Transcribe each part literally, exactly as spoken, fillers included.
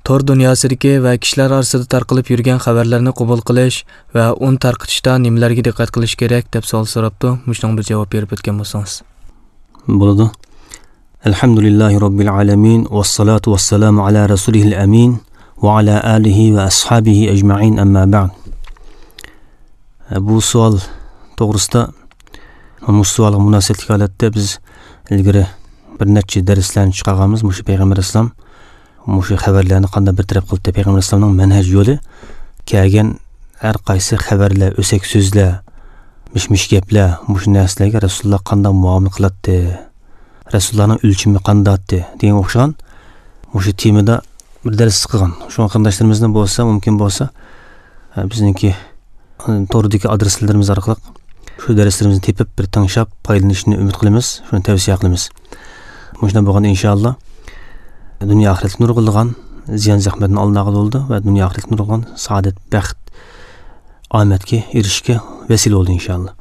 تور دۇنياسىدىكى ۋە كىشىلەر ئارىسىدا تارقىلىپ يۈرگەن خەۋەرلەرنى قوبۇل قىلىش ۋە ئۇنى تارقىتىشتا نېمىلەرگە دىققەت قىلىش كېرەك دەپ سوئال سوراپتۇ. مۇشۇنىڭغا بىر جاۋاب بېرىپ ئۆتكەن بولسىڭىز. بولىدۇ. الحمد لله رب العالمين، والصلاة والسلام على رسوله الأمين، وعلى آله وأصحابه أجمعين، أما بعد. بۇ سوئال توغرىسىدا، مۇشۇ سوئالغا مۇناسىۋەتلىك ھالەتتە بىز ئىلگىرى بىر نەچچە دەرسلەرنى چىقارغانمىز. مۇشۇ پەيغەمبەر ئەلەيھىسسالام مۇشۇ خەۋەرلەرنى قانداق بىر تەرەپ قىلدى؟ پەيغەمبەر ئەلەيھىسسالامنىڭ مەنھەجى يولى، كەلگەن ھەر قايسى خەۋەرلەر، ئۆسەك سۆزلەر، مىش-مىش گەپلەر، مۇشۇ نەرسىلەرگە رەسۇلۇللا قانداق مۇئامىلە قىلاتتى؟ رەسۇلۇللانىڭ ئۆلچىمى قانداقتى؟ دېگەنگە ئوخشىغان مۇشۇ تېمىدا بىر دەرس قىلغان. شۇڭا قېرىنداشلىرىمىزنىڭ بولسا، مۇمكىن بولسا، ئە، بىزنىڭكى، ئە، توردىكى ئادرېسلىرىمىز ئارقىلىق شۇ دەرسلىرىمىزنى تېپىپ، بىر تىڭشاپ، پايدىلىنىشىنى ئۈمىد قىلىمىز، شۇنى تەۋسىيە قىلىمىز. مۇشۇنداق بولغاندا، ئىنشائاللا، دۇنيا ئاخىرەتكە نۇرغۇنلىغان زىيان-زەخمەتنى ئالدىنى ئالغىلى بولىدۇ ۋە دۇنيا ئاخىرەتكە نۇرغۇنلىغان سائادەت، بەخت، ئامەتكە ئېرىشىشكە ۋەسىلە بولىدۇ، ئىنشائاللا.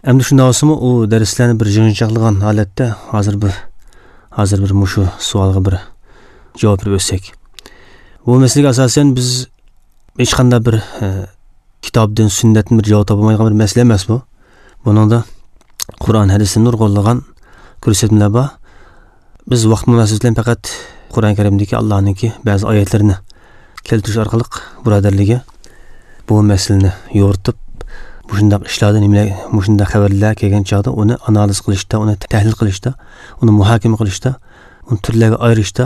ئەمدى شۇنداق بولسىمۇ، ئۇ دەرسلەرنى بىر يىغىنچاقلىغان ھالەتتە ھازىر بىر، ھازىر بىر مۇشۇ سوئالغا بىر جاۋاب بېرىپ ئۆتسەك. بۇ مەسىلىگە ئاساسەن بىز ھېچقانداق بىر، ئە، كىتابتىن، سۈننەتتىن بىر جاۋاب تاپالمايدىغان بىر مەسىلە ئەمەس بۇ. بۇنىڭدا قۇرئان، ھەدىستىن نۇرغۇنلىغان كۆرسەتمىلەر بار. بىز ۋاقىت مۇناسىۋىتى بىلەن پەقەت قۇرئان كەرىمدىكى ئاللانىڭكى بەزى ئايەتلىرىنى كەلتۈرۈش ئارقىلىق بۇرادەرلەرگە بۇ مەسىلىنى يورۇتۇپ، مۇشۇنداق ئىشلاردا نېمىلەر، مۇشۇنداق خەۋەرلەر كەلگەن چاغدا ئۇنى ئانالىز قىلىشتا، ئۇنى تەھلىل قىلىشتا، ئۇنى مۇھاكىمە قىلىشتا، ئۇنى تۈرلەرگە ئايرىشتا،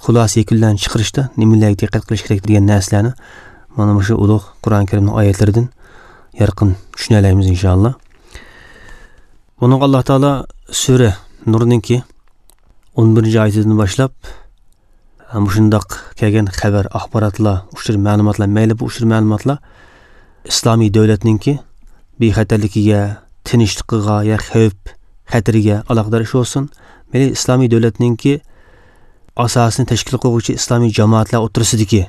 خۇلاسە يەكۈنلەرنى چىقىرىشتا نېمىلەرگە دىققەت قىلىش كېرەك دېگەن نەرسىلەرنى مانا مۇشۇ ئۇلۇغ قۇرئان كەرىمنىڭ ئايەتلىرىدىن يارقىن چۈشىنەلەيمىز، ئىنشائاللا. بۇنىڭغا ئاللا تائالا سۈرە نۇرنىڭكى ئون بىرىنچى ئايىتىدىن باشلاپ، مۇشۇنداق كەلگەن خەۋەر، ئاخباراتلار، ئۇچۇر مەلۇماتلار، مەيلى بۇ ئۇچۇر مەلۇماتلار ئىسلامىي دۆلەتنىڭكى بىخەتەرلىكىگە، تىنچلىقىغا يا خەۋپ خەتىرىگە ئالاقىدار ئىش بولسۇن، مەيلى ئىسلامىي دۆلەتنىڭكى ئاساسىنى تەشكىل قىلغۇچى ئىسلامىي جامائەتلەر ئوتتۇرىسىدىكى،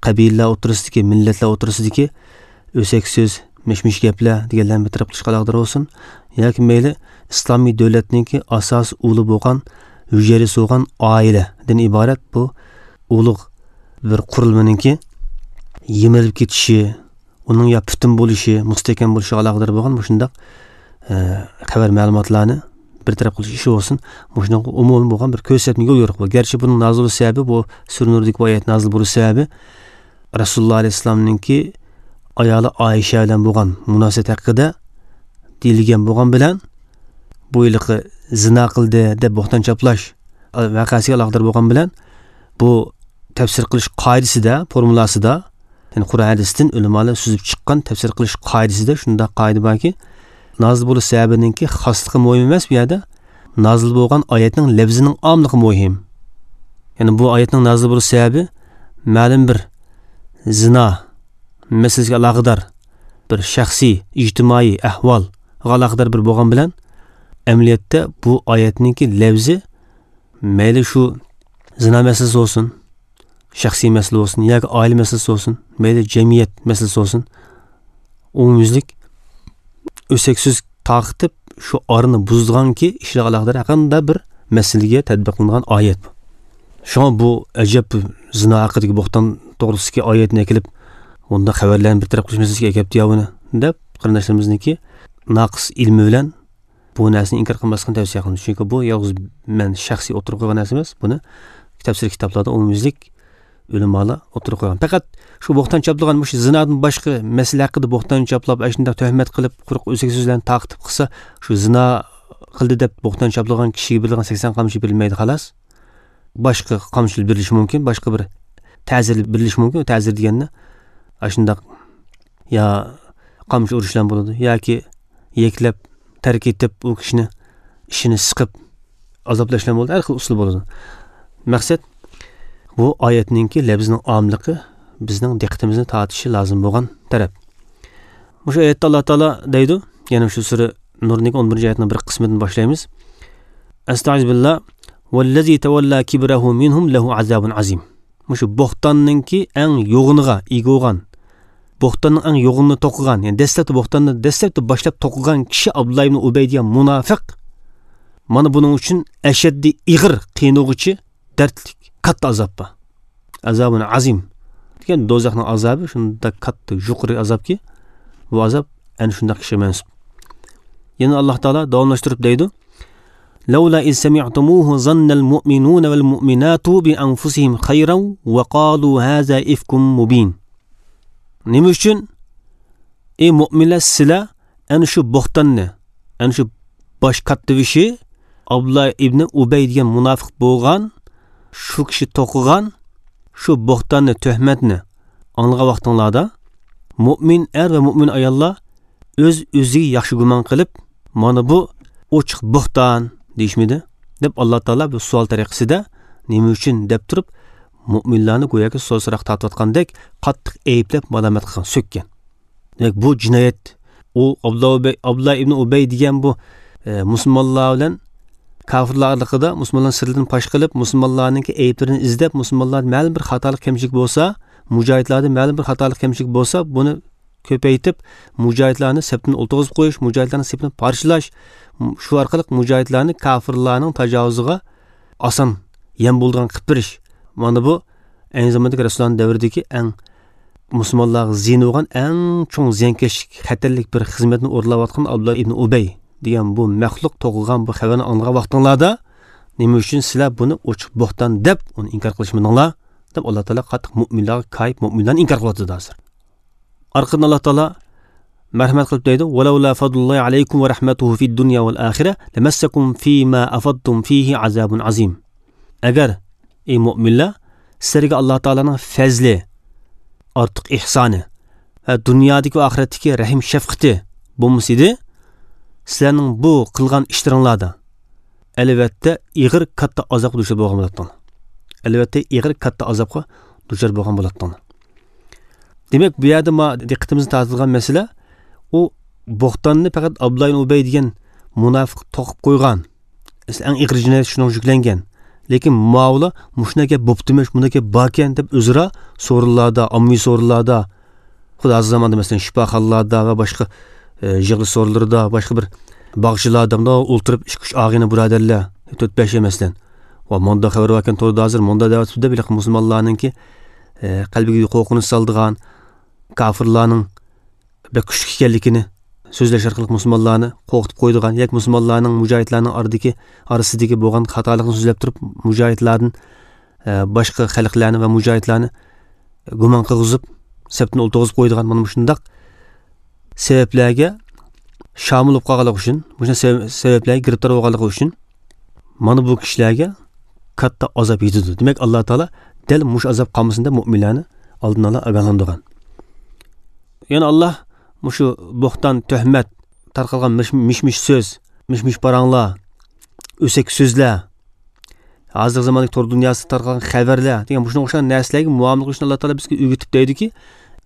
قەبىلىلەر ئوتتۇرىسىدىكى، مىللەتلەر ئوتتۇرىسىدىكى ئۆسەك سۆز، مىش-مىش گەپلەر دېگەنلەرنى بىر تەرەپ قىلىشقا ئالاقىدار بولسۇن، ياكى مەيلى ئىسلامىي دۆلەتنىڭكى ئاساسىي ئۇلى بولغان، ھۈجەيرىسى بولغان ئائىلىدىن ئىبارەت بۇ ئۇلۇغ بىر قۇرۇلمىنىڭكى يىمىرىلىپ كېتىشى، ئۇنىڭ يا پۈتۈن بولۇشى، مۇستەھكەم بولۇشىغا ئالاقىدار بولغان مۇشۇنداق، ئە، خەۋەر مەلۇماتلارنى بىر تەرەپ قىلىش ئىشى بولسۇن، مۇشۇنىڭغا ئومۇمىي بولغان بىر كۆرسەتمە يول يورۇق بۇ. گەرچە بۇنىڭ نازىل بولۇش سەۋەبى، بۇ سۈرە نۇردىكى بۇ ئايەت نازىل بولۇش سەۋەبى رەسۇلۇللا ئەلەيھىسسالامنىڭكى ئايالى ئائىشە بىلەن بولغان مۇناسىۋەت ھەققىدە دېيىلگەن بولغان بىلەن، بۇ ھېلىقى زىنا قىلدى دەپ بوھتان چاپلاش ۋەقەسىگە ئالاقىدار بولغان بىلەن، بۇ تەپسىر قىلىش قائىدىسىدە، فورمۇلاسىدا، يەنى قۇرئان ھەدىستىن ئۆلىمالار سۈزۈپ چىققان تەپسىر قىلىش قائىدىسىدە شۇنداق قائىدە باركى، نازىل بولۇش سەۋەبىنىڭكى خاسلىقى مۇھىم ئەمەس بۇ يەردە، نازىل بولغان ئايەتنىڭ لەپزىنىڭ ئاملىقى مۇھىم. يەنى بۇ ئايەتنىڭ نازىل بولۇش سەۋەبى مەلۇم بىر زىنا مەسىلىسىگە ئالاقىدار بىر شەخسىي، ئىجتىمائىي ئەھۋالغا ئالاقىدار بىر بولغان بىلەن، ئەمەلىيەتتە بۇ ئايەتنىڭكى لەپزى مەيلى شۇ زىنا مەسىلىسى بولسۇن، شەخسىي مەسىلە بولسۇن ياكى ئائىلە مەسىلىسى بولسۇن، مەيلى جەمئىيەت مەسىلىسى بولسۇن، ئومۇميۈزلۈك ئۆسەك سۆز تارقىتىپ، شۇ ئارىنى بۇزىدىغانكى ئىشلارغا ئالاقىدار ھەرقانداق بىر مەسىلىگە تەتبىقلىنىدىغان ئايەت بۇ. شۇڭا بۇ ئەجەب زىنا ھەققىدىكى بوھتان توغرىسىدىكى ئايەتنى ئەكېلىپ، بۇنداق خەۋەرلەرنى بىر تەرەپ قىلىش مەسىلىسىگە ئەكەپتۇ يا بۇنى دەپ، قېرىنداشلىرىمىزنىڭكى ناقىس ئىلمى بىلەن بۇ نەرسىنى ئىنكار قىلماسلىقىنى تەۋسىيە قىلىمىز. چۈنكى بۇ يالغۇز مەن شەخسىي ئوتتۇرىغا قويغان نەرسە ئەمەس. بۇنى تەپسىر كىتابلاردا ئومۇميۈزلۈك ئۆلىمالار ئوتتۇرىغا قويغان. پەقەت شۇ بوھتان چاپلىغان، مۇشۇ زىنادىن باشقا مەسىلە ھەققىدە بوھتان چاپلاپ، ئاشۇنداق تۆھمەت قىلىپ، قۇرۇق ئۆسەك سۆزلەرنى تارقىتىپ قىلسا، شۇ زىنا قىلدى دەپ بوھتان چاپلىغان كىشىگە بېرىدىغان سەكسەن قامچا بېرىلمەيدۇ، خالاس. باشقا قامچىلار بېرىلىشى مۇمكىن، باشقا بىر تەزىر بېرىلىشى مۇمكىن. تەزىر دېگەننى ئاشۇنداق يا قامچا ئۇرۇشلار بولىدۇ ياكى يەكلەپ تەرك ئېتىپ، ئۇ كىشىنى ئىشىنى سىقىپ ئازابلاشلار بولىدۇ. ھەر خىل ئۇسۇل بولىدۇ. مەقسەت، بۇ ئايەتنىڭكى لەپزىنىڭ ئاملىقى بىزنىڭ دىققىتىمىزنى تارتىشى لازىم بولغان تەرەپ. مۇشۇ ئايەتتە ئاللا تائالا دەيدۇ، يەنە شۇ سۈرە نۇرنىڭ ئون بىرىنچى ئايەتنىڭ بىر قىسمىدىن باشلايمىز. ئەستەئىزۇ بىللا. ۋەللەزى تەۋەللا كىبرەھۇ مىنھۇم لەھۇ ئازابۇن ئازىم. مۇشۇ بوھتاننىڭكى ئەڭ يوغىنىغا ئىگە بولغان، بوھتاننىڭ ئەڭ يوغىنىنى توقۇغان، يەنى دەسلەپتە بوھتاننى دەسلەپتە باشلاپ توقۇغان كىشى ئابدۇللا ئىبنى ئۇبەي دېگەن مۇناپىق. مانا بۇنىڭ ئۈچۈن ئەشەددىي ئېغىر، قىينىغۇچى، دەردلىك، كاتتا ئازاب بار. ئازابۇن ئازىم. دېگەن دوزاخنىڭ ئازابى شۇنداق كاتتا، يۇقىرى ئازابكى، بۇ ئازاب ئەنە شۇنداق كىشىگە مەنسۇپ. يەنە ئاللاھ تائالا داۋاملاشتۇرۇپ دەيدۇ: لولا إذ سمعتموه ظن المؤمنون والمؤمنات بأنفسهم خيرا وقالوا هذا إفك مبين. نېمە ئۈچۈن، ئەي مۆمىنلەر، سىلەر ئەنە شۇ بوھتاننى، ئەنە شۇ باش كاتتىبېشى ئابدۇللا ئىبنى ئۇبەي دېگەن مۇناپىق بولغان، شۇ كىشى توقۇغان شۇ بوھتاننى، تۆھمەتنى ئاڭلىغان ۋاقتىڭلاردا، مۆمىن ئەر ۋە مۆمىن ئاياللار ئۆز-ئۆزىگە ياخشى گۇمان قىلىپ، مانا بۇ ئوچۇق بوھتان دېيىشمىدى؟ دەپ ئاللا تائالا بۇ سوئال تەرىقىسىدە نېمە ئۈچۈن دەپ تۇرۇپ، مۆمىنلارنى گوياكى سوئال-سوراق تارتىۋاتقاندەك قاتتىق ئەيىبلەپ، مالامەت قىلغان، سۆككەن. دېمەك، بۇ جىنايەت. ئۇ ئابدۇللا ئۇبەي، ئابدۇللا ئىبنى ئۇبەي دېگەن بۇ، ئە، مۇسۇلمانلار بىلەن كاپىرلار ئارىلىقىدا مۇسۇلمانلارنىڭ سىرلىرىنى پاش قىلىپ، مۇسۇلمانلارنىڭكى ئەيىبلىرىنى ئىزدەپ، مۇسۇلمانلار مەلۇم بىر خاتالىق، كەمچىلىك بولسا، مۇجاھىدلاردا مەلۇم بىر خاتالىق، كەمچىلىك بولسا، بۇنى كۆپەيتىپ، مۇجاھىدلارنى سەپتىن ئولتۇرغۇزۇپ قويۇش، مۇجاھىدلارنىڭ سېپىنى پارچىلاش، شۇ ئارقىلىق مۇجاھىدلارنى كاپىرلارنىڭ تاجاۋۇزىغا ئاسان يەم بولىدىغان قىلىپ بېرىش. مانا بۇ ئەينى زاماندىكى رەسۇلۇللانىڭ دەۋرىدىكى ئەڭ مۇسۇلمانلارغا زىيىنى بولغان ئەڭ چوڭ زىيانكەشلىك، خەتەرلىك بىر خىزمەتنى ئورۇنلاۋاتقان ئابدۇللا ئىبنى ئۇبەي دېگەن بۇ مەخلۇق توقۇغان بۇ خەۋەرنى ئاڭلىغان ۋاقتىڭلاردا، نېمە ئۈچۈن سىلەر بۇنى ئوچۇق بوھتان دەپ، ئۇنى ئىنكار قىلىشمىدىڭلار؟ دەپ، ئاللا تائالا قاتتىق مۆمىنلارغا كايىپ، مۆمىنلارنى ئىنكار قىلىۋاتىدۇ ھازىر. ئارقىدىن ئاللا تائالا مەرھەمەت قىلىپ دەيدۇ: ولولا فضل الله عليكم ورحمته في الدنيا والآخرة لمسكم فيما أفضتم فيه عذاب عظيم. ئەگەر، ئەي مۆمىنلەر، سىلەرگە ئاللا تائالانىڭ پەزلى، ئارتۇق ئېھسانى ۋە دۇنيادىكى ۋە ئاخىرەتتىكى رەھىم شەپقىتى بولمىسىدى، سىلەرنىڭ بۇ قىلغان ئىشلىرىڭلاردا ئەلۋەتتە ئېغىر كاتتا ئازابقا دۇچار بولغان بولاتتىڭلار. ئەلۋەتتە ئېغىر كاتتا ئازابقا دۇچار بولغان بولاتتىڭلار. دېمەك، بۇ يەردە ما دىققىتىمىزنى تارتىدىغان مەسىلە، ئۇ بوھتاننى پەقەت ئابدۇللا ئىبن ئۇبەي دېگەن مۇناپىق توقۇپ قويغان. ئەسلى ئەڭ ئېغىر جىنايەت شۇنىڭغا يۈكلەنگەن. لېكىن ماۋۇلار مۇشۇنداق گەپ بوپتىمىش، مۇنداق گەپ باركەن دەپ ئۆزئارا سورۇنلاردا، ئاممىۋى سورۇنلاردا، خۇددى ھازىر زاماندا، مەسىلەن، شىپاخانىلاردا ۋە باشقا، ئە، يىغىلىش سورۇنلىرىدا، باشقا بىر باغچىلاردا مۇنداق ئولتۇرۇپ ئىككى-ئۈچ ئاغىنە بۇرادەرلەر، تۆت-بەش، مەسىلەن، ۋە مۇنداق خەۋەر باركەن توردا ھازىر، مۇنداق دەۋاتىدۇ دەپ، ھېلىقى مۇسۇلمانلارنىڭكى، ئە، قەلبىگە قورقۇنچ سالىدىغان، كاپىرلارنىڭ بەك كۈچلۈك ئىكەنلىكىنى سۆزلەش ئارقىلىق مۇسۇلمانلارنى قورقۇتۇپ قويىدىغان ياكى مۇسۇلمانلارنىڭ، مۇجاھىدلارنىڭ ئارىدىكى، ئارىسىدىكى بولغان خاتالىقنى سۆزلەپ تۇرۇپ، مۇجاھىدلاردىن، ئە، باشقا خەلقلەرنى ۋە مۇجاھىدلارنى گۇمان قىلغۇزۇپ، سەپتىن ئولتۇرغۇزۇپ قويىدىغان مانا مۇشۇنداق سەۋەبلەرگە شامىل بولۇپ قالغانلىقى ئۈچۈن، مۇشۇنداق سەۋەب-، سەۋەبلەرگە گىرىپتار بولغانلىقى ئۈچۈن، مانا بۇ كىشىلەرگە كاتتا ئازاب يېتىدۇ. دېمەك، ئاللا تائالا دەل مۇشۇ ئازاب قالمىسۇن دەپ مۆمىنلەرنى ئالدىن ئالا ئاگاھلاندۇرغان. يەنە ئاللا مۇشۇ بوھتان، تۆھمەت، تارقالغان مىش-، مىش-مىش سۆز، مىش-مىش پاراڭلار، ئۆسەك سۆزلەر، ھازىرقى زاماندىكى تور دۇنياسىدا تارقالغان خەۋەرلەر دېگەن مۇشۇنىڭغا ئوخشىغان نەرسىلەرگە مۇئامىلە قىلىشنى ئاللا تائالا بىزگە ئۆگىتىپ دەيدۇكى،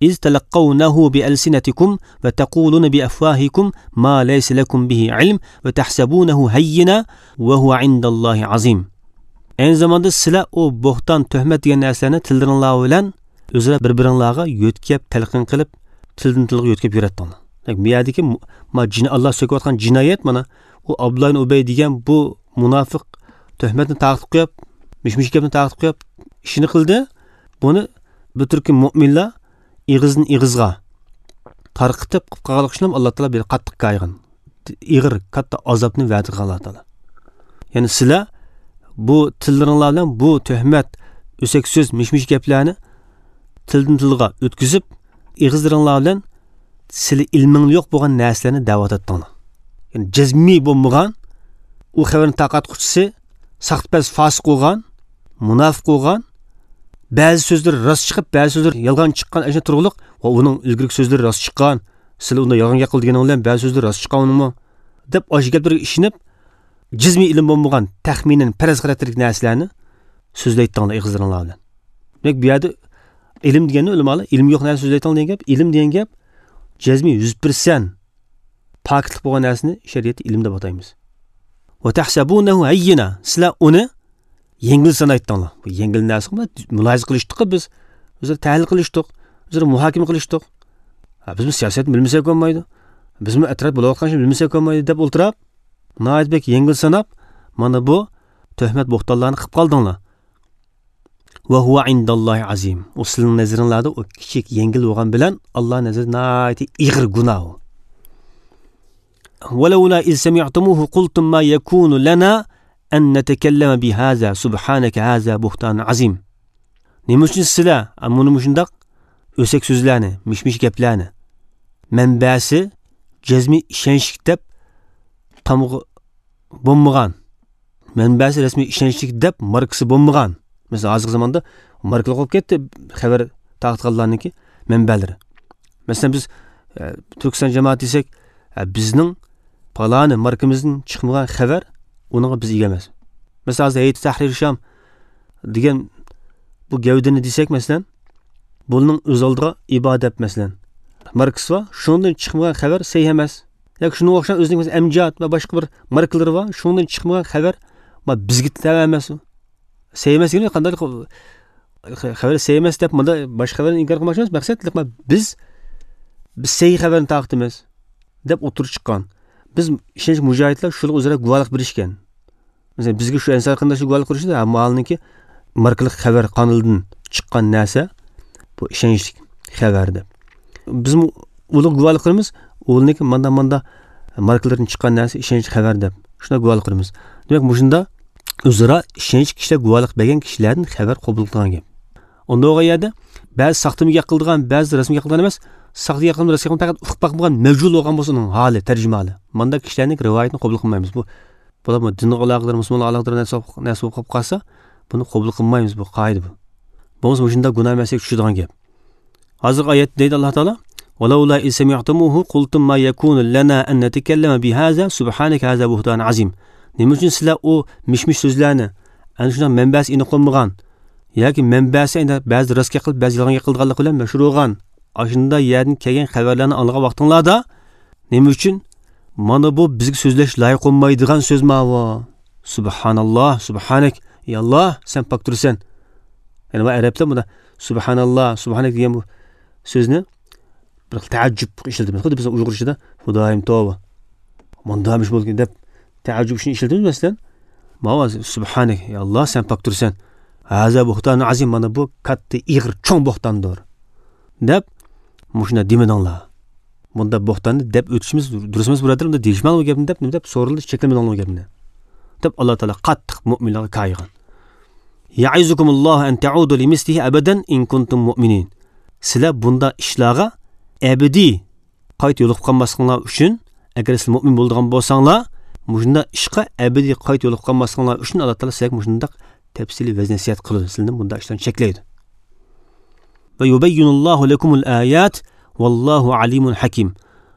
إذ تلقونه بألسنتكم وتقولون بأفواهكم ما ليس لكم به علم وتحسبونه هينا وهو عند الله عظيم. ئەينى زاماندا سىلەر ئۇ بوھتان، تۆھمەت دېگەن نەرسىلەرنى تىللىرىڭلار بىلەن ئۆزئارا بىر-بىرىڭلارغا يۆتكەپ، تەلقىن قىلىپ، تىلدىن تىلغا يۆتكەپ يۈرەتتىڭلار. دېمەك، بۇ يەردىكى مۇ-، ما جىن-، ئاللا سۆكۈۋاتقان جىنايەت مانا، ئۇ ئابدۇللا ئىبن ئۇبەي دېگەن بۇ مۇناپىق تۆھمەتنى تارقىتىپ قويۇپ، مىش-مىش گەپنى تارقىتىپ قويۇپ، ئىشىنى قىلدى. بۇنى بىر تۈركۈم مۆمىنلەر ئېغىزدىن ئېغىزغا تارقىتىپ قىلىپ قالغانلىقى ئۈچۈن ئاللا تائالا بىر قاتتىق كايىغان، ئېغىر، كاتتا ئازابنى ۋەدە قىلغان ئاللا تائالا. يەنى سىلەر بۇ تىللىرىڭلار بىلەن بۇ تۆھمەت، ئۆسەك سۆز، مىش-مىش گەپلەرنى تىلدىن تىلغا ئۆتكۈزۈپ، ئېغىزلىرىڭلار بىلەن سىلى ئىلمىڭ يوق بولغان نەرسىلەرنى دەۋاتاتتىڭلار. يەنى جەزمىي بولمىغان، ئۇ خەۋەرنى تارقاتقۇچىسى ساختىپەز، فاسىق بولغان، مۇناپىق بولغان، بەزى سۆزلىرى راست چىقىپ، بەزى سۆزلىرى يالغان چىققان، ئەشۇ تۇرغۇلۇق، ۋە ئۇنىڭ ئىلگىرىكى سۆزلىرى راست چىققان، سىلى ئۇندا يالغان گەپ قىلدى دېگىنىڭ بىلەن بەزى سۆزلىرى راست چىققان ئۇنىڭمۇ، دەپ ئاشۇ گەپلەرگە ئىشىنىپ، جەزمىي ئىلىم بولمىغان، تەخمىنەن پەرەز خاراكتېرلىك نەرسىلەرنى سۆزلەيتتىڭلار ئېغىزلىرىڭلار بىلەن. دېمەك، بۇ يەردە ئىلىم دېگەننى ئۆلىمالار، ئىلمى يوق نەرسە سۆزلەيتتىڭلار دېگەن گەپ، ئىلىم دېگەن گەپ جەزمىي يۈز پىرسەنت پاكىتلىق بولغان نەرسىنى شەرىئەتتە ئىلىم دەپ ئاتايمىز. وتحسبونه هينا، سىلەر ئۇنى يەڭگىل سانايتتىڭلار. بۇ يەڭگىل نەرسە، مۇلاھىزە قىلىشتۇق بىز. ئۆزئارا تەھلىل قىلىشتۇق. ئۆزئارا مۇھاكىمە قىلىشتۇق. ھە، بىزمۇ سىياسەتنى بىلمىسەك بولمايدۇ. بىزمۇ ئەتراپتا بولۇۋاتقان ئىشنى بىلمىسەك بولمايدۇ دەپ ئولتۇراپ، ناھايىتى بەك يەڭگىل ساناپ، مانا بۇ تۆھمەت بوھتانلارنى قىلىپ قالدىڭلار. وهو عند الله عظيم. ئۇ سىلىنىڭ نەزىرىڭلاردا ئۇ كىچىك، يەڭگىل بولغان بىلەن، ئاللا نەزىرىدە ناھايىتى ئېغىر گۇناھ ئۇ. ولولا إذ سمعتموه قلتم ما يكون لنا أن نتكلم بهذا سبحانك هذا بهتان عظيم. نېمە ئۈچۈن سىلەر مۇنى مۇشۇنداق ئۆسەك سۆزلەرنى، مىش-مىش گەپلەرنى، مەنبەسى جەزمىي ئىشەنچلىك دەپ تامغا بولمىغان، مەنبەسى رەسمىي ئىشەنچلىك دەپ ماركىسى بولمىغان. مەسىلەن، ھازىرقى زاماندا ماركىلىق بولۇپ كەتتى خەۋەر تارقىتقانلارنىڭكى مەنبەلىرى. مەسىلەن، بىز، ئە، تۈركىستان جامائەت دېسەك، ئە، بىزنىڭ پالانى ماركىمىزدىن چىقمىغان خەۋەر، ئۇنىڭغا بىز ئىگە ئەمەس. مەسىلەن، ھازىر ھەيئەت تەھرىر شام دېگەن بۇ گەۋدىنى دېسەك، مەسىلەن، بۇنىڭ ئۆز ئالدىغا ئىبادەت، مەسىلەن، ماركىسى بار، شۇنىڭدىن چىقمىغان خەۋەر سەھىھ ئەمەس. ياكى شۇنىڭغا ئوخشاش ئۆزىنىڭ مەسىلەن، ئەمجاد ۋە باشقا بىر ماركىلىرى بار، شۇنىڭدىن چىقمىغان خەۋەر، ما، بىزگە تەۋە ئەمەس ئۇ. سەھىھ ئەمەس دېگىنى قانداق؟ خەۋەر سەھىھ ئەمەس دەپ، مۇندا باشقا خەۋەرنى ئىنكار قىلماقچى ئەمەس. مەقسەت، ما، بىز، بىز سەھىھ خەۋەرنى تارقىتىمىز دەپ ئوتتۇرىغا چىققان. بىز ئىشەنچ مۇجاھىدلار شۇلارغا ئۆزئارا گۇۋاھلىق بېرىشكەن. مەسىلەن، بىزگە شۇ ئەنسار قېرىنداشلار گۇۋاھلىق بېرىشتى، ھە، ماۋۇنىڭكى ماركىلىق خەۋەر قانىلىدىن چىققان نەرسە، بۇ ئىشەنچلىك خەۋەر دەپ. بىزمۇ ئۇلارغا گۇۋاھلىق بېرىمىز، ئۇلارنىڭكى ماندا-ماندا ماركىلىرىدىن چىققان نەرسە ئىشەنچلىك خەۋەر دەپ. شۇنداق گۇۋاھلىق بېرىمىز. دېمەك، مۇشۇنداق ئۆزئارا ئىشەنچلىك كىشىلەر گۇۋاھلىق بەرگەن كىشىلەردىن خەۋەر قوبۇل قىلىدىغان گەپ. ئۇنداق بولغان يەردە بەزى ساختىمىگەرلىك قىلىدىغان، بەزى رەسىمگەرلىك قىلىدىغان ئەمەس، ساختىگەرلىك قىلىدىغان، رەسىمگەرلىك قىلىدىغان پەقەت ئۇقۇپ باقمىغان مەجھۇل بولغان بولسا ئۇنىڭ ھالى، تەرجىمىھالى. مانداق كىشىلەرنىڭ رىۋايىتىنى قوبۇل قىلمايمىز. بۇ بۇلار دىنغا ئالاقىدار، مۇسۇلمانلارغا ئالاقىدار نەرسە بولۇپ، نەرسە بولۇپ قالىپ قالسا، بۇنى قوبۇل قىلمايمىز، بۇ قائىدە بۇ. بولمىسا مۇشۇنداق گۇناھ مەسىلىگە چۈشىدىغان گەپ. ھازىرقى ئايەتتە دەيدۇ ئاللا تائالا، ولولا إذ سمعتموه قلتم ما يكون لنا أن نتكلم بهذا سبحانك هذا بهتان عظيم. نېمە ئۈچۈن سىلەر ئۇ مىش-مىش سۆزلەرنى، ئەنە شۇنداق مەنبەسى ئېنىق بولمىغان ياكى مەنبەسى ئەنە بەزىدە راست گەپ قىلىپ، بەزىدە يالغان گەپ قىلىدىغانلىقى بىلەن مەشھۇر بولغان، ئاشۇنداق يەردىن كەلگەن خەۋەرلەرنى ئاڭلىغان ۋاقتىڭلاردا، نېمە ئۈچۈن مانا بۇ بىزگە سۆزلەش لايىق بولمايدىغان سۆز ماۋۇ؟ سۇبھاناللا، سۇبھانەك. ئى ئاللا، سەن پاك تۇرىسەن. يەنى بۇ ئەرەبلەر بۇندا سۇبھاناللا، سۇبھانەك دېگەن بۇ سۆزنى بىر خىل تەئەججۈپ ئىشلىتىمىز. خۇددى بىز ئۇيغۇرچىدا خۇدايىم توۋا، مۇنداقمىش بولدى دەپ تەئەججۈپ ئۈچۈن ئىشلىتىمىز مەسىلەن. ماۋۇ سۇبھانەك، ئى ئاللا، سەن پاك تۇرىسەن. ھازا بۇھتان ئازىم، مانا بۇ كاتتا، ئېغىر، چوڭ بوھتاندۇر دەپ مۇشۇنداق دېمىدىڭلار. بۇنداق بوھتاننى دەپ ئۆتۈشىمىز دۇرۇس ئەمەس، بۇرادەر، بۇنداق دېيىشمەڭلار بۇ گەپنى دەپ، نېمە دەپ سورىلىدى، چەكلىمىدىڭلار بۇ گەپنى دەپ ئاللا تائالا قاتتىق مۆمىنلەرگە كايىغان. يعظكم الله أن تعودوا لمثله أبدا إن كنتم مؤمنين. سىلەر بۇنداق ئىشلارغا ئەبەدىي قايتا يولۇقۇپ قالماسلىقىڭلار ئۈچۈن، ئەگەر سىلەر مۆمىن بولىدىغان بولساڭلار، مۇشۇنداق ئىشقا ئەبەدىي قايتا يولۇقۇپ قالماسلىقىڭلار ئۈچۈن ئاللا تائالا سىلەرگە مۇشۇنداق تەپسىلىي ۋەز نەسىھەت قىلىدۇ، سىلەرنى بۇنداق ئىشلارنى چەكلەيدۇ. ويبين الله لكم الآيات والله عليم حكيم.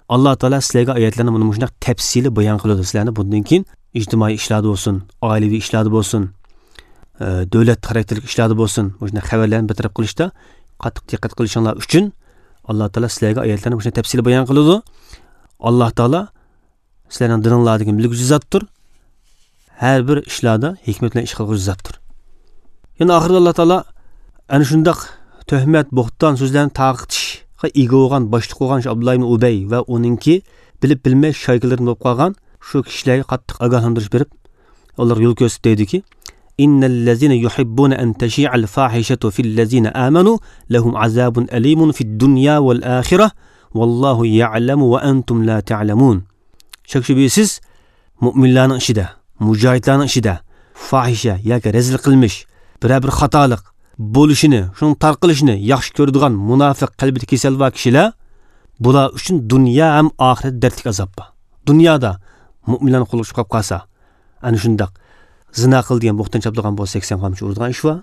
ئاللا تائالا سىلەرگە ئايەتلەرنى مانا مۇشۇنداق تەپسىلىي بايان قىلىدۇ، سىلەرنى بۇندىن كېيىن ئىجتىمائىي ئىشلاردا بولسۇن، ئائىلىۋى ئىشلاردا بولسۇن، ئە، دۆلەت خاراكتېرلىك ئىشلاردا بولسۇن، مۇشۇنداق خەۋەرلەرنى بىر تەرەپ قىلىشتا قاتتىق دىققەت قىلىشىڭلار ئۈچۈن ئاللا تائالا سىلەرگە ئايەتلەرنى مۇشۇنداق تەپسىلىي بايان قىلىدۇ. ئاللا تائالا سىلەرنىڭ دىلىڭلاردىكىنى بىلگۈچى زاتتۇر. ھەر بىر ئىشلاردا ھېكمەت بىلەن ئىش قىلغۇچى زاتتۇر. يەنە ئاخىرىدا ئاللا تائالا ئەنە شۇنداق تۆھمەت، بوھتان سۆزلەرنى تارقىتىشقا ئىگە بولغان، باشلىق بولغان شۇ ئابدۇللا ئىبن ئۇبەي ۋە ئۇنىڭكى بىلىپ بىلمەي شايكىلىرىدىن بولۇپ قالغان شۇ كىشىلەرگە قاتتىق ئاگاھلاندۇرۇش بېرىپ، ئۇلارغا يول كۆرسىتىپ دەيدۇكى، إن الذين يحبون أن تشيع الفاحشة في الذين آمنوا لهم عذاب أليم في الدنيا والآخرة والله يعلم وأنتم لا تعلمون. شەك-شۈبھىسىز، مۆمىنلەرنىڭ ئىچىدە، مۇجاھىدلارنىڭ ئىچىدە فاھىشە ياكى رەزىل قىلمىش، بىرەر بىر خاتالىق بولۇشىنى، شۇنىڭ تارقىلىشىنى ياخشى كۆرىدىغان مۇناپىق قەلبىدە كېسەل بار كىشىلەر، بۇلار ئۈچۈن دۇنيا ھەم ئاخىرەتتە دەردلىك ئازاب بار. دۇنيادا مۆمىنلەرنىڭ قولىغا چۈشۈپ قاپ قالسا، ئەنە شۇنداق زىنا قىل دېگەن بوھتان چاپلىغان بولسا، سەكسەن قامچا ئۇرىدىغان ئىش بار.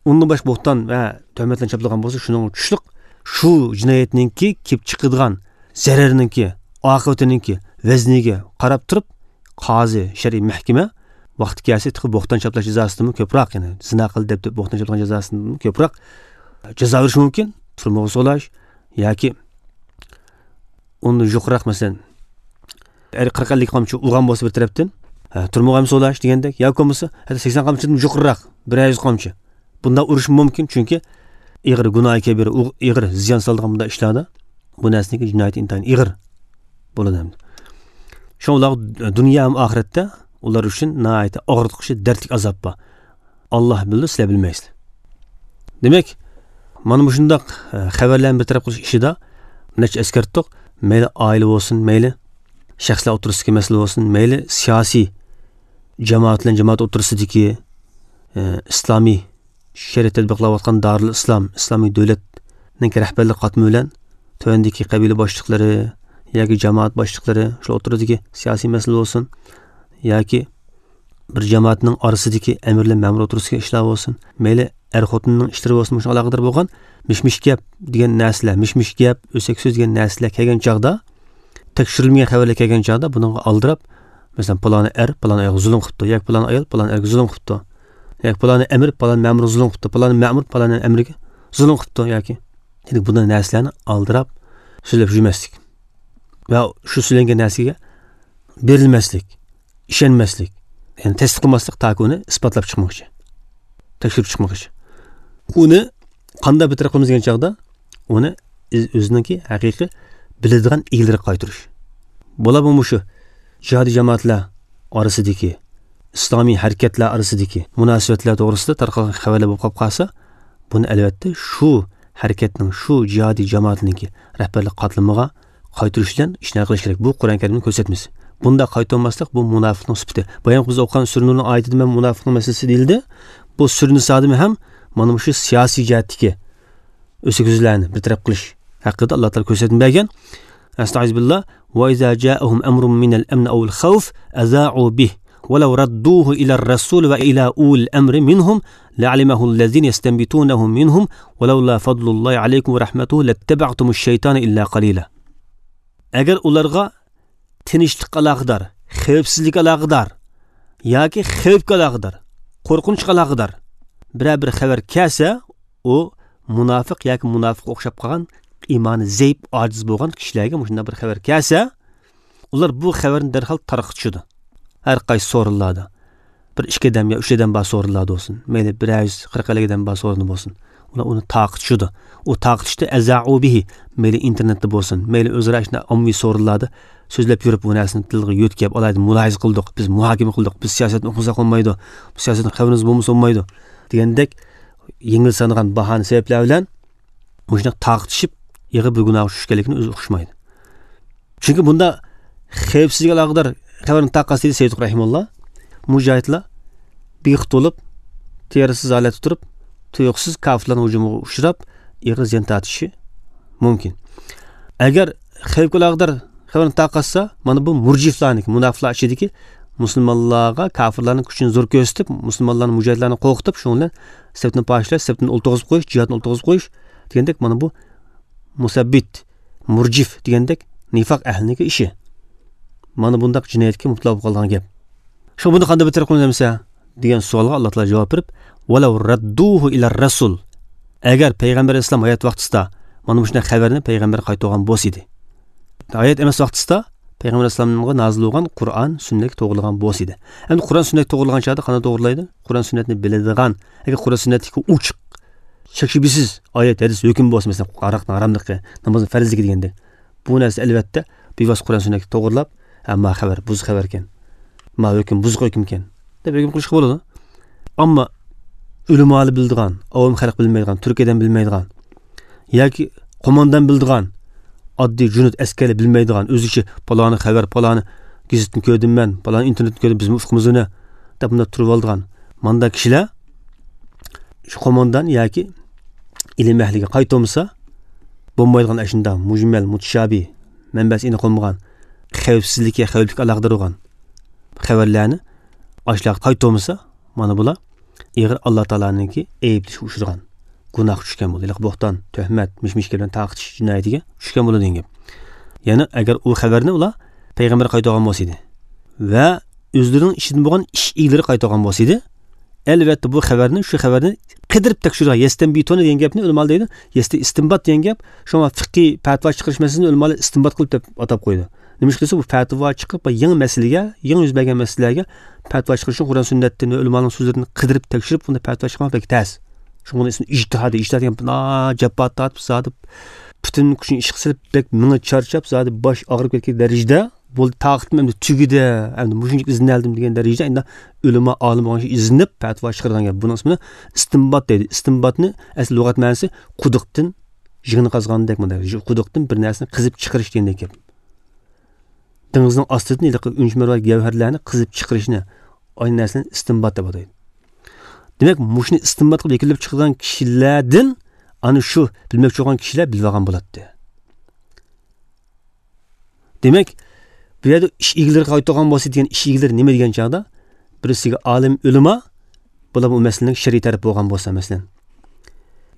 ئۇندىن باشقا بوھتان ۋە تۆھمەتلەرنى چاپلىغان بولسا، شۇنىڭغا چۈشلۈك شۇ جىنايەتنىڭكى كېلىپ چىقىدىغان زەرەرنىڭكى، ئاقىۋىتىنىڭكى ۋەزنىگە قاراپ تۇرۇپ، قازى، شەرئىي مەھكىمە ۋاقتى كەلسە تېخى بوھتان چاپلاش جازاسىدىنمۇ كۆپرەك، يەنى زىنا قىل دەپ، دەپ بوھتان چاپلىغان جازاسىدىنمۇ كۆپرەك جازا بېرىشى مۇمكىن. تۈرمىگە سولاش ياكى ئۇندىن يۇقىرىراق، مەسىلەن، ئەر قىرىق ئەللىك قامچا ئۇرغان بولسا بىر تەرەپتىن، ھە، تۈرمىگە ھەم سولاش دېگەندەك، ياكى بولمىسا ھەتتا سەكسەن قامچىدىن يۇقىرىراق، بىر يۈز قامچا، بۇنداق ئۇرۇشمۇ مۇمكىن، چۈنكى ئېغىر گۇناھى كەبىرە، ئۇ-، ئېغىر زىيان سالىدىغان بۇنداق ئىشلاردا بۇ نەرسىنىڭكى جىنايىتى ئىنتايىن ئېغىر بولىدۇ ئەمدى. شۇڭا ئۇلارغا دۇنيا ھەم ئاخىرەتتە ئۇلار ئۈچۈن ناھايىتى ئاغرىتقۇچى، دەردلىك ئازاب بار. ئاللا بىلىدۇ، سىلەر بىلمەيسىلەر. دېمەك، مانا مۇشۇنداق، ئە، خەۋەرلەرنى بىر تەرەپ قىلىش ئىشىدا نەچچە ئەسكەرتتۇق. مەيلى ئائىلە بولسۇن، مەيلى شەخسلەر ئوتتۇرىسىدىكى مەسىلە بولسۇن، مەيلى سىياسىي جامائەت بىلەن جامائەت ئوتتۇرىسىدىكى، ئە، ئىسلامىي شەرىئەت تەتبىقلاۋاتقان دارۇل ئىسلام، ئىسلامىي دۆلەتنىڭ رەھبەرلىك قاتلىمى بىلەن تۆۋەندىكى قەبىلە باشلىقلىرى ياكى جامائەت باشلىقلىرى، شۇ ئوتتۇرىدىكى سىياسىي مەسىلە بولسۇن ياكى بىر جامائەتنىڭ ئارىسىدىكى ئەمىر بىلەن مەمۇر ئوتتۇرىسىدىكى ئىشلار بولسۇن، مەيلى ئەر-خوتۇننىڭ ئىشلىرى بولسۇن، مۇشۇنىڭغا ئالاقىدار بولغان مىش-مىش گەپ دېگەن نەرسىلەر، مىش-مىش گەپ، ئۆسەك سۆز دېگەن نەرسىلەر كەلگەن چاغدا، تەكشۈرۈلمىگەن خەۋەرلەر كەلگەن چاغدا بۇنىڭغا ئالدىراپ، مەسىلەن، پالانى ئەر، پالان ئايالغا زۇلۇم قىپتۇ، ياكى پالان ئايال، پالان ئەرگە زۇلۇم قىپتۇ، ياكى پالانى ئەمىر، پالان مەمۇرغا زۇلۇم قىپتۇ، پالانى مەمۇر، پالان ئەمىرگە زۇلۇم قىپتۇ، ياكى، يەنى بۇنداق نەرسىلەرنى ئالدىراپ سۆزلەپ يۈرمەسلىك ۋە شۇ سۆزلەنگەن نەرسىگە بېرىلمەسلىك، ئىشەنمەسلىك، يەنى تەستىق قىلماسلىق، تاكى ئۇنى ئىسپاتلاپ چىقمىغۇچە، تەكشۈرۈپ چىقمىغۇچە. ئۇنى قانداق بىر تەرەپ قىلىمىز دېگەن چاغدا، ئۇنى ئۆز-، ئۆزىنىڭكى ھەقىقىي بىلىدىغان ئىگىلىرىگە قايتۇرۇش. بولۇپمۇ مۇشۇ جىھادىي جامائەتلەر ئارىسىدىكى، ئىسلامىي ھەرىكەتلەر ئارىسىدىكى مۇناسىۋەتلەر توغرىسىدا تارقالغان خەۋەرلەر بولۇپ قالىپ قالسا، بۇنى ئەلۋەتتە شۇ ھەرىكەتنىڭ، شۇ جىھادىي جامائەتنىڭكى رەھبەرلىك قاتلىمىغا قايتۇرۇش بىلەن ئىشنى ھەل قىلىش كېرەك. بۇ قۇرئان كەرىمنىڭ كۆرسەتمىسى. بۇنداق قايتۇرماسلىق، بۇ مۇناپىقنىڭ سۈپىتى. بايام بىز ئوقۇغان سۈرە نۇرنىڭ ئايىتىدە مەن مۇناپىقنىڭ مەسىلىسى دېيىلدى. بۇ سۈرە نىسادىمۇ ھەم مانا مۇشۇ سىياسىي جەھەتتىكى ئۆسەك سۆزلەرنى بىر تەرەپ قىلىش ھەققىدە ئاللا تائالا كۆرسەتمە بەرگەن. ئەستەئىزۇ بىللا. وإذا جاءهم أمر من الأمن أو الخوف أذاعوا به ولو ردوه إلى الرسول وإلى أولي الأمر منهم لعلمه الذين يستنبطونه منهم ولولا فضل الله عليكم ورحمته لاتبعتم الشيطان إلا قليلا. ئەگەر ئۇلارغا تىنچلىققا ئالاقىدار، خەۋپسىزلىككە ئالاقىدار ياكى خەۋپكە ئالاقىدار، قورقۇنچقا ئالاقىدار بىرەر بىر خەۋەر كەلسە، ئۇ مۇناپىق ياكى مۇناپىققا ئوخشاپ قالغان، ئىمانى زەئىپ، ئاجىز بولغان كىشىلەرگە مۇشۇنداق بىر خەۋەر كەلسە، ئۇلار بۇ خەۋەرنى دەرھال تارقىتىشىدۇ. ھەر قايسى سورۇنلاردا بىر ئىككى ئادەم يا ئۈچ ئادەم بار سورۇنلاردا بولسۇن، مەيلى بىر يۈز قىرىق ئەللىك ئادەم بار سورۇندا بولسۇن، ئۇلار ئۇنى تارقىتىشىدۇ. ئۇ تارقىتىشتا ئەزائۇ بىھى، مەيلى ئىنتېرنېتتا بولسۇن، مەيلى ئۆزئارا شۇنداق ئاممىۋى سورۇنلاردا سۆزلەپ يۈرۈپ، بۇ نەرسىنى تىلغا يۆتكەپ، ئالاھىدە مۇلاھىزە قىلدۇق، بىز مۇھاكىمە قىلدۇق، بىز سىياسەتنى ئوقۇمىساق بولمايدۇ، بۇ سىياسەتنىڭ خەۋىرىمىز بولمىسا بولمايدۇ دېگەندەك يېڭىلسانغان باھانە سەۋەبلەر بىلەن مۇشۇنداق تارقىتىشىپ، ئېغىر بىر گۇناھقا چۈشۈشكەنلىكىنى ئۆزى ئۇقۇشمايدۇ. چۈنكى بۇندا خەۋپسىزلىككە ئالاقىدار خەۋەرنى تارقاتسا دېدى سەييىد رەھىمۇللا، مۇجاھىدلار بىخۇد بولۇپ، تېرىسىز ھالەتتە تۇرۇپ، تۇيۇقسىز كاپىرلارنىڭ ھۇجۇمىغا ئۇچراپ، ئېغىر زىيان تارتىشى مۇمكىن. ئەگەر خەۋپكە ئالاقىدار خەۋەرنى تارقاتسا، مانا بۇ مۇرجىفلارنىڭكى، مۇناپىقلار ئىچىدىكى مۇسۇلمانلارغا كاپىرلارنىڭ كۈچىنى زور كۆرسىتىپ، مۇسۇلمانلارنى، مۇجاھىدلارنى قورقۇتۇپ، شۇنىڭ بىلەن سەپنى پارچىلاش، سەپتىن ئولتۇرغۇزۇپ قويۇش، جىھادتىن ئولتۇرغۇزۇپ قويۇش دېگەندەك، مانا بۇ مۇسەببىت، مۇرجىف دېگەندەك نىفاق ئەھلىنىڭكى ئىشى. مانا بۇنداق جىنايەتكە مۇپتىلا بولۇپ قالغان گەپ. شۇڭا بۇنى قانداق بىر تەرەپ قىلىمىز دېگەن سوئالغا ئاللا تائالا جاۋاب بېرىپ، ۋەلەۋ رەددۇھۇ ئىلەر رەسۇل. ئەگەر پەيغەمبەر ئەلەيھىسسالام ھايات ۋاقتىسىدا مانا مۇشۇنداق خەۋەرنى پەيغەمبەرگە قايتۇرغان بولسا ئىدى. ھايات ئەمەس ۋاقتىسىدا پەيغەمبەر ئەلەيھىسسالامغا نازىل بولغان قۇرئان، سۈننەتكە توغرىلىغان بولسا ئىدى. ئەمدى قۇرئان، سۈننەتكە توغرىلىغان چاغدا قانداق توغرىلايدۇ؟ قۇرئان، سۈننەتنى بىلىدىغان، ياكى قۇرئان، سۈننەتتىكى ئوچۇق، شەك-شۈبھىسىز ئايەت، ھەدىس ھۆكۈم بولسا، مەسىلەن، ئاراقنىڭ ھاراملىقى، نامازنىڭ پەرزلىكى دېگەندەك، بۇ نەرسە ئەلۋەتتە بىۋاسىتە قۇرئان، سۈننەتكە توغرىلاپ، ھە، ما خەۋەر بۇزۇق خەۋەركەن، ما ھۆكۈم بۇزۇق ھۆكۈمكەن دەپ ھۆكۈم قىلىشقا بولىدۇ. ئەمما ئۆلىمالار بىلىدىغان، ئاۋام خەلق بىلمەيدىغان، تۈرك ئادەم بىلمەيدىغان ياكى قوماندان بىلىدىغان ئاددىي جۇنۇد ئەسكەرلەر بىلمەيدىغان، ئۆزىچە پالانى خەۋەر، پالانى گېزىتتىن كۆردۈم مەن، پالانى ئىنتېرنېتتىن كۆردۈم، بىزمۇ ئۇقىمىز ئۇنى دەپ مۇنداق تۇرۇۋالىدىغان مانداق كىشىلەر شۇ قوماندان ياكى ئىلىم ئەھلىگە قايتۇرمىسا بولمايدىغان، ئاشۇنداق مۇجمەل، مۇتىشابىھ، مەنبەسى ئېنىق بولمىغان، خەۋپسىزلىككە، خەۋپلىككە ئالاقىدار بولغان خەۋەرلەرنى ئاشۇلارغا قايتۇرمىسا، مانا بۇلار ئېغىر ئاللا تائالانىڭكى ئەيىبلىشىگە ئۇچرىغان، گۇناھقا چۈشكەن بولىدۇ. ھېلىقى بوھتان، تۆھمەت، مىش-مىش گەپلەرنى تارقىتىش جىنايىتىگە چۈشكەن بولىدۇ دېگەن گەپ. يەنى ئەگەر ئۇ خەۋەرنى ئۇلار پەيغەمبەرگە قايتۇرغان بولسا ئىدى ۋە ئۆزلىرىنىڭ ئىچىدىن بولغان ئىش ئىگىلىرى قايتۇرغان بولسا ئىدى، ئەلۋەتتە بۇ خەۋەرنى، شۇ خەۋەرنى قىدىرىپ تەكشۈرگەن، يەستەنبىتۇنە دېگەن گەپنى ئۆلىمالار دەيدۇ، يەستە ئىستىنبات دېگەن گەپ، شۇڭا فىقھىي پەتىۋا چىقىرىش مەسىلىسىنى ئۆلىمالار ئىستىنبات قىلىپ دەپ ئاتاپ قويىدۇ. نېمىشقا دېسە، بۇ پەتىۋا چىقىپ، بۇ يېڭى مەسىلىگە، يېڭى يۈز بەرگەن مەسىلىلەرگە پەتىۋا چىقىرىش ئۈچۈن قۇرئان سۈننەتتىن ۋە ئۆلىمانىڭ سۆزلىرىدىن قىدىرىپ تەكشۈرۈپ، بۇنى پەتىۋا چىقارماق بەك تەس. شۇڭا بۇنى ئىجتىھادىي، ئىجتىھاد دېگەن بىنا جاپا تارتىپ، زادى پۈتۈن كۈچىنى ئىشقا سېلىپ، بەك مېڭە چارچاپ، زادى باش ئاغرىپ كەتكەن دەرىجىدە بولدى، تاقىتىم ئەمدى تۈگىدى، ئەمدى مۇشۇنچىلىك ئىزدىنەلدىم دېگەن دەرىجىدە ئەمدى ئۆلىما، ئالىم بولغان كىشى ئىزدىنىپ پەتىۋا چىقىرىدىغان گەپ. بۇنىڭ ئىسمىنى ئىستىنبات دەيدۇ. ئىستىنباتنى ئەسلى لۇغەت مەنىسى قۇدۇقتىن يىڭنە قازغاندەك، مۇنداق قۇدۇقتىن بىر نەرسىنى قېزىپ چىقىرىش دېگەندەك گەپ. دېڭىزنىڭ ئاستىدىن ھېلىقى ئۈنچ مەرۋايىت گەۋھەرلەرنى قېزىپ چىقىرىشنى، ئاينى نەرسىنى ئىستىنبات دەپ ئاتايدۇ. دېمەك، مۇشۇنى ئىستىنبات قىلىپ يەكۈنلەپ چىقىدىغان كىشىلەردىن ئانا شۇ بىلمەكچى بولغان كىشىلەر بىلىۋالغان بولاتتى. دېمەك، بۇ يەردە ئىش ئىگىلىرى قايتۇرغان بولسا دېگەن ئىش ئىگىلىرى نېمە دېگەن چاغدا، بىرسىگە ئالىم، ئۆلىما، بۇلار بۇ مەسىلىنىڭ شەرئىي تەرىپى بولغان بولسا، مەسىلەن.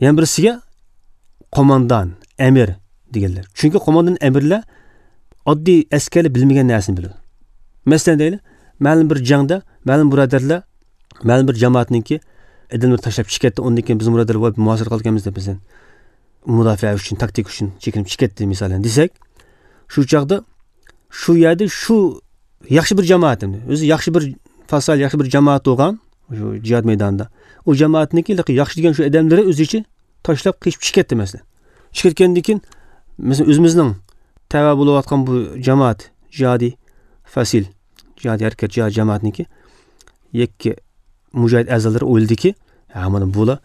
يەنە بىرسىگە قوماندان، ئەمىر دېگەنلەر. چۈنكى قوماندان، ئەمىرلەر ئاددىي ئەسكەرلەر بىلمىگەن نەرسىنى بىلىدۇ. مەسىلەن دەيلى، مەلۇم بىر جەڭدە، مەلۇم بۇرادەرلەر، مەلۇم بىر جامائەتنىڭكى ئادەملىرى تاشلاپ چىقىپ كەتتى، ئۇندىن كېيىن بىز بۇرادەرلەر ۋاي مۇھاسىرە قىلىدىكەنمىز دەپ، مەسىلەن، مۇداپىئە ئۈچۈن، تاكتىكا ئۈچۈن چېكىنىپ چىقىپ كەتتى، مىسالەن، دېسەك، شۇ چاغدا شۇ يەردە شۇ ياخشى بىر جامائەت، ئۆزى ياخشى بىر پاسال، ياخشى بىر جامائەت بولغان شۇ جىھاد مەيدانىدا. ئۇ جامائەتنىڭكى ياخشى دېگەن شۇ ئادەملىرى ئۆزىچە تاشلاپ قېچىپ چىقىپ كەتتى، مەسىلەن. چىقىپ كەتكەندىن كېيىن، مەسىلەن، ئۆزىمىزنىڭ تەۋە بولۇۋاتقان بۇ جامائەت، جىھادىي فاسىل، جىھادىي ھەرىكەت، جىھاد جامائەتنىڭكى يەككە مۇجاھىد ئەزالىرى ئويلىدىكى، ھە، مانا بۇلار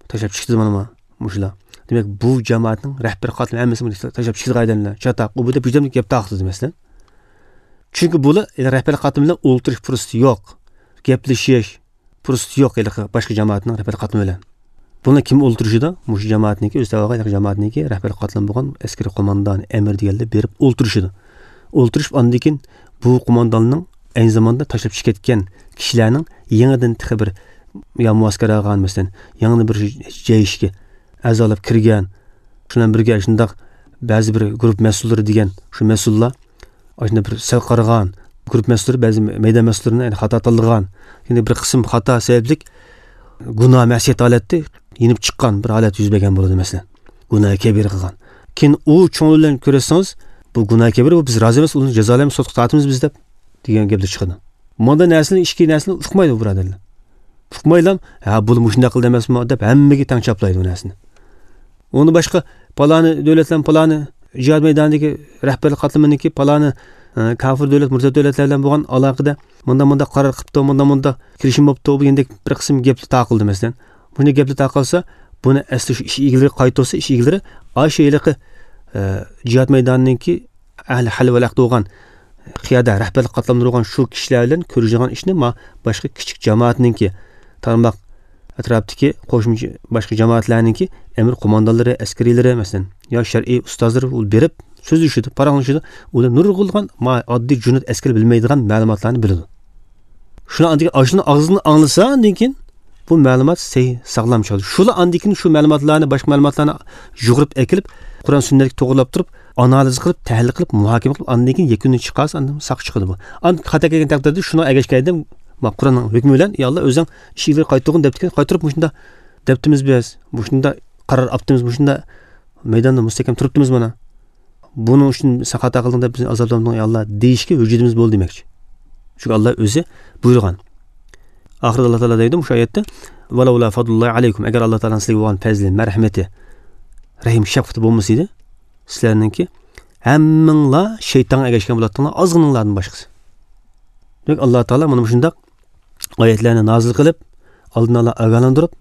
تاشلاپ چىقتى، مانا، مانا مۇشۇلار. دېمەك، بۇ جامائەتنىڭ رەھبەر قاتلىمى ھەممىسى بۇنى تاشلاپ چىقىدىغان ئادەملەر، چاتاق، ئۇ بۇ دەپ بىردەملىك گەپ تارقىتىدۇ، مەسىلەن. چۈنكى بۇلار رەھبەر قاتلىمى بىلەن ئولتۇرۇش پۇرسىتى يوق، گەپلىشىش پۇرسىتى يوق ھېلىقى باشقا جامائەتنىڭ رەھبەر قاتلىمى بىلەن. بۇنى كىم ئولتۇرۇشىدۇ؟ مۇشۇ جامائەتنىڭكى، ئۆز تەۋەگە جامائەتنىڭكى رەھبەر قاتلىمى بولغان ئەسكىرىي قوماندان، ئەمىر دېگەنلەر بېرىپ ئولتۇرۇشىدۇ. ئولتۇرۇشۇپ، ئاندىن كېيىن بۇ قومانداننىڭ ئەينى زاماندا تاشلاپ چىقىپ كەتكەن كىشىلەرنىڭ يېڭىدىن تېخى بىر يا مۇئەسكەر ئالغان، مەسىلەن، يېڭىدىن بىر جەيشكە ئەزالىپ كىرگەن، شۇ بىلەن بىرگە شۇنداق بەزى بىر گۇرۇپپا مەسئۇللىرى دېگەن شۇ مەسئۇللار، ئاشۇنداق بىر سەل قارىغان، گۇرۇپپا مەسئۇللىرى بەزى مەيدان مەسئۇللىرىنى، يەنى خاتا تاللىغان، يەنى بىر قىسىم خاتا سەۋەبلىك گۇناھ مەسىيەت ھالەتتە يېنىپ چىققان بىر ھالەت يۈز بەرگەن بولىدۇ، مەسىلەن. گۇناھ كەبىرە قىلغان. كېيىن ئۇ چوڭلار بىلەن كۆرۈشسىڭىز، بۇ گۇناھ كەبىرە، بۇ بىز رازى ئەمەس، ئۇنى جازالايمىز، سوتقا تارتىمىز بىز دەپ دېگەن گەپلەر چىقىدۇ. مۇنداق نەرسىنى ئىچكى نەرسىنى ئۇقمايدۇ بۇ بۇرادەرلەر. ئۇقمايلا، ھە، بۇ مۇشۇنداق قىلدى ئەمەسمۇ دەپ ھەممىگە تەڭ چاپلايدۇ بۇ نەرسىنى. ئۇنى باشقا پالانى دۆلەتلەر پالانى جىھاد مەيدانىدىكى رەھبەرلىك قاتلىمىنىڭكى پالانى، ئە، كاپىر دۆلەت، مۇرتەت دۆلەتلەر بىلەن بولغان ئالاقىدە مۇنداق مۇنداق قارار قىپتۇ، مۇنداق مۇنداق كېلىشىم بوپتۇ دېگەندەك بىر قىسىم گەپلەر تارقىلدى، مەسىلەن. مۇشۇنداق گەپلەر تارقالسا، بۇنى ئەسلى شۇ ئىش ئىگىلىرى قايتۇرسا، ئىش ئىگىلىرى ئاشۇ ھېلىقى، ئە، جىھاد مەيدانىنىڭكى ئەھلى ھەل ۋەل ئەقدى بولغان، قىيادە رەھبەرلىك قاتلامدا تۇرغان شۇ كىشىلەر بىلەن كۆرۈشىدىغان ئىشنى ما باشقا كىچىك جامائەتنىڭكى، تارماق ئەتراپتىكى قوشما باشقا جامائەتلەرنىڭكى ئەمىر قوماندانلىرى، ئەسكىرىيلىرى، مەسىلەن، يا شەرئىي ئۇستازلىرى بېرىپ سۆزلىشىدۇ، پاراڭلىشىدۇ. ئۇلار نۇرغۇنلىغان ما ئاددىي جۇنۇد ئەسكىرى بىلمەيدىغان مەلۇماتلارنى بىلىدۇ. شۇنى ئاندىن كېيىن، ئاشۇنى ئاغزىدىن ئاڭلىسا، ئاندىن كېيىن بۇ مەلۇمات سەھىھ، ساغلام چىقىدۇ. شۇلا ئاندىن كېيىن شۇ مەلۇماتلارنى، باشقا مەلۇماتلارنى يۇغۇرۇپ ئەكېلىپ، قۇرئان سۈننەتكە توغرىلاپ تۇرۇپ، ئانالىز قىلىپ، تەھلىل قىلىپ، مۇھاكىمە قىلىپ، ئاندىن كېيىن يەكۈننى چىقارسا، ئاندىن ساق چىقىدۇ بۇ. ئاندىن خاتا كەلگەن تەقدىردە شۇنىڭ ئەگەشكەندە، ما قۇرئاننىڭ ھۆكمى بىلەن، يا ئاللا، ئۆزۈڭ ئىش ئىگىلىرى قايتۇرغىن دەپتىكەن، قايتۇرۇپ مۇشۇنداق دەپتىمىز بىز، مۇشۇنداق قارار ئاپتىمىز، مۇشۇنداق مەيداندا مۇستەھكەم تۇرۇپتىمىز مانا. بۇنىڭ ئۈچۈن سەن خاتا قىلدىڭ دەپ بىزنى ئازابلاندۇرما يا ئاللا دېيىشكە ھۆججىتىمىز بولدى دېمەكچى. چۈنكى ئاللا ئۆزى بۇيرۇغان. ئاخىرىدا ئاللا تائالا دەيدۇ مۇشۇ ئايەتتە، ۋەلەۋلا فەزلۇللاھى ئەلەيكۇم، ئەگەر ئاللا تائالانىڭ سىلەرگە بولغان پەزلى، مەرھەمىتى، رەھىم شەپقىتى بولمىسا ئىدى، سىلەرنىڭكى ھەممىڭلار شەيتانغا ئەگەشكەن بولاتتىڭلار، ئازغىنىڭلاردىن باشقىسى. دېمەك، ئاللا تائالا مانا مۇشۇنداق ئايەتلەرنى نازىل قىلىپ، ئالدىن ئالا ئاگاھلاندۇرۇپ،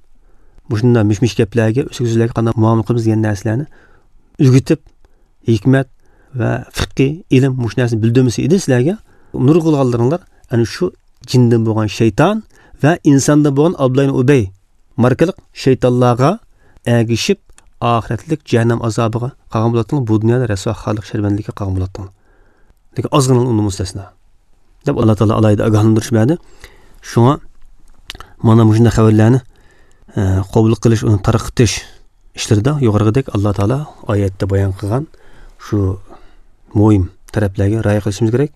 مۇشۇنداق مىش-مىش گەپلەرگە، ئۆسۈك سۆزلەرگە قانداق مۇئامىلە قىلىمىز دېگەن نەرسىلەرنى ئۆگىتىپ، ھېكمەت ۋە فىقھىي ئىلىم مۇشۇ نەرسىنى بىلدۈرمىسە ئىدى سىلەرگە، نۇرغۇنلىغانلىرىڭلار ئەنە شۇ جىندىن بولغان شەيتان ۋە ئىنساندىن بولغان ئابدۇللا ئىبنى ئۇبەي ماركىلىق شەيتانلارغا ئەگىشىپ، ئاخىرەتلىك جەھەننەم ئازابىغا قالغان بولاتتىڭلار، بۇ دۇنيادا رەسۋا، خارلىق، شەرمەندىلىككە قالغان بولاتتىڭلار. لېكىن ئازغىنىلا ئۇنىڭدىن مۇستەسنا. دەپ ئاللا تائالا ئالاھىدە ئاگاھلاندۇرۇش بەردى. شۇڭا مانا مۇشۇنداق خەۋەرلەرنى، ئە، قوبۇل قىلىش، ئۇنى تارقىتىش ئىشلىرىدا يۇقىرىقىدەك ئاللا تائالا ئايەتتە بايان قىلغان شۇ مۇھىم تەرەپلەرگە رىئايە قىلىشىمىز كېرەك.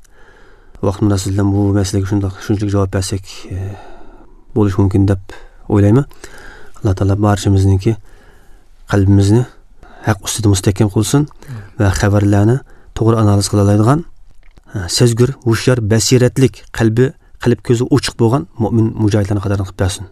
ۋاقىت مۇناسىۋىتى بىلەن بۇ مەسىلىگە شۇنداق، شۇنچىلىك جاۋاب بەرسەك، ئە، بولۇشى مۇمكىن دەپ ئويلايمەن. ئاللا تائالا بارچىمىزنىڭكى قەلبىمىزنى ھەق ئۈستىدە مۇستەھكەم قىلسۇن ۋە خەۋەرلەرنى توغرا ئانالىز قىلالايدىغان، سەزگۈر، ھوشيار، بەسىرەتلىك، قەلبى، قەلب كۆزى ئوچۇق بولغان مۆمىن مۇجاھىدلارنىڭ قاتارىدىن قىلىپ بەرسۇن.